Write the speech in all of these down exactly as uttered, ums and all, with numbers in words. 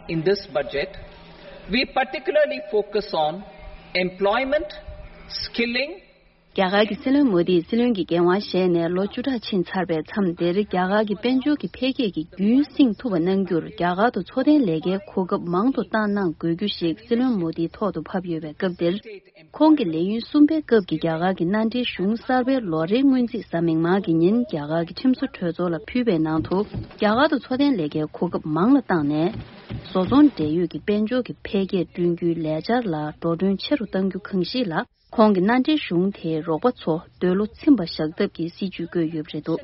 In this budget, we particularly focus on employment, skilling, རྒྱ་གར་གྱི་སྲིད་བློན་མོ་དིས་སྲིད་བློན་གྱི་འགན་དབང་བཞེས་ནས་ལོ་བཅུ་ཕྲག་ཕྱིན་ཚར་བའི་མཚམས་འདིར་རྒྱ་གར་གྱི་དཔལ་འབྱོར་གྱི་འཕེལ་རྒྱས་ཀྱི་རྒྱུན་བསྲིང་ཐུབ་པ་གནང་རྒྱུར་རྒྱ་གར་དུ་འཚོ་རྟེན་ལས་ཀའི་གོ་སྐབས་མང་དུ་བཏང་གནང་དགོས་རྒྱུ་ཞིག་སྲིད་བློན་མོ་དིའི་ཐོག་ཏུ་ཕབ་ཡོད་པའི་སྐབས་འདིར། ཁོང་གི་ལས་ཡུན་གསུམ་པའི་སྐབས་ཀྱི་རྒྱ་གར་གྱི་མནའ་འབྲེལ་གཞུང་གསར་པའི་ལོ་རེའི་སྔོན་རྩིས་གཟའ་མིག་དམར་གྱི་ཉིན་རྒྱ་གར་གྱི་ཁྲིམས་བཟོ་གྲོས་ཚོགས་ལ་ཕུལ་བའི་ནང་དུ། རྒྱ་གར་དུ་འཚོ་རྟེན་ལས་ཀའི་གོ་སྐབས་མང་ལ་བཏང་ནས། བཟོ་ཚོང་འབྲེལ་ཡོད་ཀྱི་དཔལ་འབྱོར་གྱི་འཕེལ་རྒྱས་བསྐྲུན་རྒྱུའི་ལས་འཆར་ལ་འགྲོ་གྲོན་ཆེ་རུ་གཏང་རྒྱུ་གང་ཞིག་ལ། ཁོང་གི་མནའ་འབྲེལ་གཞུང་དེའི་རོགས་པ་ཚོ་འདོད་བློ་ཚིམ་པ་བཞག་ཐབས་ཀྱི་སྲིད་ཇུས་བཀོད་ཡོད་པ་རེད་འདུག་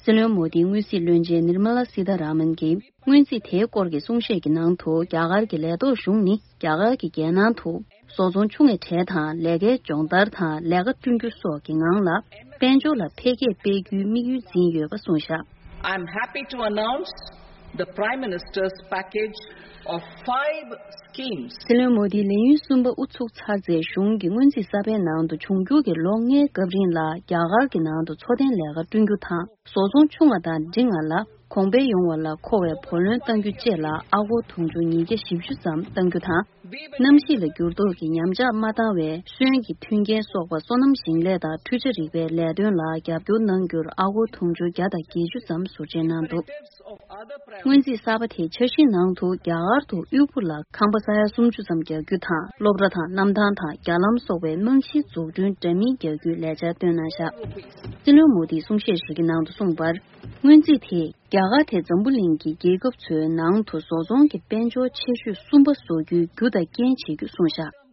སྲིད་བློན་མོ་དིའི་དངུལ་སྲིད་བློན་ཆེན་ནིར་མ་ལ་སི་ཐ་ར་མན་གྱིས་སྔོན་རྩིས་དེའི་སྐོར་གྱི་གསུང་བཤད་ཀྱི་ནང་དུ། རྒྱ་གར་གྱི་ལས་ཐོག་གཞུང་ནི་རྒྱ་གར་གྱི་རྒྱལ་ནང་དུ་བཟོ་ཚོང་ཆུང་བའི་གྲས་དང་། ལས་ཀའི་སྦྱོང་བརྡར་དང་ལས་ཀ་བསྐྲུན་རྒྱུ་སོགས་ཀྱི་ངང་ལ་དཔལ་འབྱོར་ལ་འཕེལ་རྒྱས་སྤེལ་རྒྱུའི་དམིགས་ཡུལ་འཛིན་ཡོད་པ་གསུངས་བཞག I'm happy to announce the Prime Minister's package of five schemes. སྲིད་བློན་མོ་དིའི་ལས་ཡུན་གསུམ་པ་དབུ་ཚུགས་ཚར་རྗེས། གཞུང་གི་སྔོན་རྩིས་གསར་པའི་ནང་དུ་འབྱུང་འགྱུར་གྱི་ལོ་ལྔའི་སྐབས་རིང་ལ་རྒྱ་གར་གྱི་ནང་དུ་འཚོ་རྟེན་ལས་ཀ་བསྐྲུན་རྒྱུ་དང་། བཟོ་ཚོང་ཆུང་བ་དང་འབྲིང་བ་ལ་གོང་འཕེལ་ཡོང་བ་ལ་མཁོ་བའི་བུ་ལོན་གཏང་རྒྱུ་བཅས་ལ་ཨ་སྒོར་དུང་ཕྱུར་ཉིས་བརྒྱ་བཞི་བཅུ་ཙམ་གཏང་རྒྱུ་དང་། གནམ་གཤིས་ལ་འགྱུར་ལྡོག་གི་ཉམས་ཆག་མ་བཏང་བའི་སོན་གྱི་མཐུན་རྐྱེན་སོགས་པ་སོ་ནམ་ཞིང་ལས་དང་འཕྲུལ་ཆས་རིག་པའི་ལས་དོན་ལ་རྒྱབ་སྐྱོར་གནང་རྒྱུར་ཨ་སྒོར་དུང་ཕྱུར་བརྒྱ་དང་བརྒྱད་ཅུ་ཙམ་ཟུར་བཅད་གནང་འདུག་སྔོན་རྩིས་གསར་པ་དེའི་འཆར་གཞིའི་ནང་དུ། རྒྱ་གར་དུ་དབུལ་པོ་ལ་ཁང་པ་ས་ཡ་སུམ་ཅུ་ཙམ་རྒྱག་རྒྱུ་དང་། སློབ་གྲྭ་དང་གནམ་ཐང་དང་རྒྱ་ལམ་སོགས་པའི་རྨང་གཞིའི་འཛུགས་སྐྲུན་འདྲ་མིན་རྒྱག་རྒྱུའི་ལས་འཆར་བཏོན་གནང་བཞག་སྲིད་བློན་མོ་དིས་གསུང་བཤད་ཞིག་གི་ནང་དུ་གསུངས་པར། སྔོན་རྩིས་དེས་རྒྱ་གར་དེ་འཛམ་བུ་གླིང་གི་རྒྱལ་ཁབ་ཚོའི་ནང་དུ་བཟོ་ཚོང་གི་དཔལ་འབྱོར་ཆེ་ཤོས་གསུམ་པ་བཟོ་རྒྱུའི་རྒྱུ་དང་རྐྱེན་བྱེད་རྒྱུ་གསུངས་བཞག་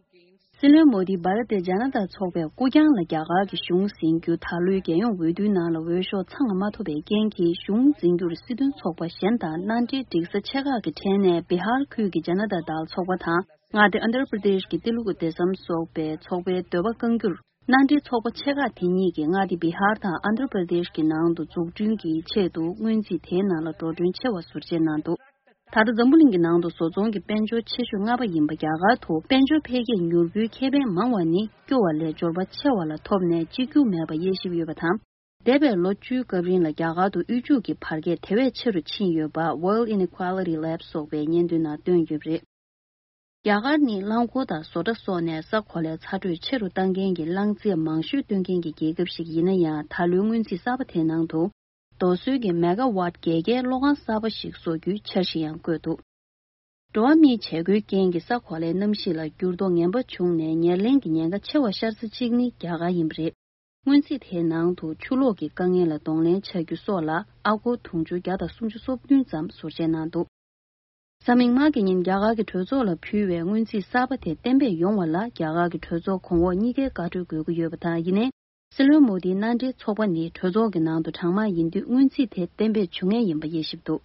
སྲིད་བློན་མོ་དིས་འབར་ཏེ་ཇ་ན་ཏ་ཚོགས་པའི་སྐུ་རྐྱང་ལ་རྒྱ་གར་གྱི་གཞུང་ཟིན་རྒྱུ། ད་ལོའི་རྒྱལ་ཡོངས་འོས་བསྡུའི་ནང་ལ་འོས་ཤོག་ཚང་མ་མ་ཐོབ་པའི་རྐྱེན་གྱིས། གཞུང་འཛིན་རྒྱུར་སྲིད་དོན་ཚོགས་པ་གཞན་དང་མནའ་འབྲེལ་སྒྲིག་ས་ཆེ་ཁག་གི་གྲས་ནས་བི་ཧར་ཁུལ་གྱི་ཇ་ན་ཏ་དལ་ཚོགས་པ་དང་། མངའ་སྡེ་ཨན་དྷྲ་པྲ་དེཤ་གི་ཏི་ལུ་གུ་དེ་སམ་སོགས་པའི་ཚོགས་པའི་འདོད་པ་བསྐང་རྒྱུར། མནའ་འབྲེལ་ཚོགས་པ་ཆེ་ཁག་དེ་གཉིས་ཀྱིས་མངའ་སྡེ་བི་ཧར་དང་ཨན་དྷྲ་པྲ་དེཤ་གི་ནང་དུ་འཛུགས་སྐྲུན་གྱི་ཆེད་དུ་སྔོན་རྩིས་དེའི་ནང་ལ་འགྲོ་གྲོན་ཆེ་བ་ཟུར་བཅད་གནང་འདུག་ད་ལྟ་འཛམ་བུ་གླིང་གི་ནང་དུ་བཟོ་ཚོང་གི་དཔལ་འབྱོར་ཆེ་ཤོས་ལྔ་པ་ཡིན་པ་རྒྱ་གར་དུ། དཔལ་འབྱོར་འཕེལ་རྒྱས་མྱུར་པོའི་ཁེ་ཕན་མང་བ་ནི། སྐྱོ་བ་ལས་འབྱོར་པ་ཆེ་བ་ལ་ཐོབ་ནས་གཅིག་གྱུར་མེད་པ་དབྱེ་ཞིབ་ཡོད་པ་དང་། འདས་པའི་ལོ་བཅུའི་སྐབས་རིང་ལ་རྒྱ་གར་དུ་དབུལ་ཕྱུག་གི་བར་ཁྱད་དེ་བས་ཆེ་རུ་ཕྱིན་ཡོད་པ། Wealth Inequality Lab སོགས་པའི་སྙན་ཐོའི་ནང་བཏོན་ཡོད་པ་རེད། རྒྱ་གར་ནི་རླངས་འཁོར་དང་བཟོ་གྲྭ་སོགས་ནས་ས་གོ་ལའི་ཚ་དྲོད་ཆེ་རུ་གཏང་མཁན་གྱི་རླངས་རྫས་མང་ཤོས་བཏོན་མཁན་གྱི་རྒྱལ་ཁབ་ཞིག་ཡིན་ན་ཡང་། ད་ལོའི་སྔོན་རྩིས་གསར་པ་དེའི་ནང་དུ། རྡོ་སོལ་གྱི་མེ་ག་ཝཊ་བརྒྱད་བརྒྱའི་གློག་ཁང་གསར་པ་ཞིག་བཟོ་རྒྱུའི་འཆར་གཞི་ཡང་བཀོད་འདུག་འགྲོ་བ་མིའི་བྱེད་སྒོའི་རྐྱེན་གྱིས་ས་གོ་ལའི་གནམ་གཤིས་ལ་འགྱུར་ལྡོག་ངན་པ་བྱུང་ནས། ཉེར་ལེན་གྱི་ཉེན་ཁ་ཆེ་བ་ཤར་ས་གཅིག་ནི་རྒྱ་གར་ཡིན་པ་རེད། སྔོན་རྩིས་དེའི་ནང་དུ་ཆུ་ལོག་གི་དཀའ་ངལ་ལ་གདོང་ལེན་བྱ་རྒྱུ་སོགས་ལ་ཨ་སྒོར་དུང་ཕྱུར་བརྒྱ་དང་སུམ་ཅུ་སོ་བདུན་ཙམ་ཟུར་བཅད་གནང་འདུག་གཟའ་མིག་དམར་གྱི་ཉིན་རྒྱ་གར་གྱི་གྲོས་ཚོགས་ལ་ཕུལ་བའི་སྔོན་རྩིས་གསར་པ་དེ་གཏན་འབེབས་ཡོང་བ་ལ་རྒྱ་གར་གྱི་གྲོས་ཚོགས་གོང་འོག་གཉིས་ཀའི་བཀའ་འཁྲོལ་དགོས་ཀྱི་ཡོད་པ་དང་། ཡིན་ནའི། སྲིད་བློན་མོ་དིའི་མནའ་འབྲེལ་ཚོགས་པ་ནི་གྲོས་ཚོགས་ཀྱི་ནང་དུ་གྲངས་མང་ཡིན་དུས། སྔོན་རྩིས་དེ་གཏན་འབེབས་བྱུང་ངེས་ཡིན་པ་དབྱེ་ཞིབ་འདུག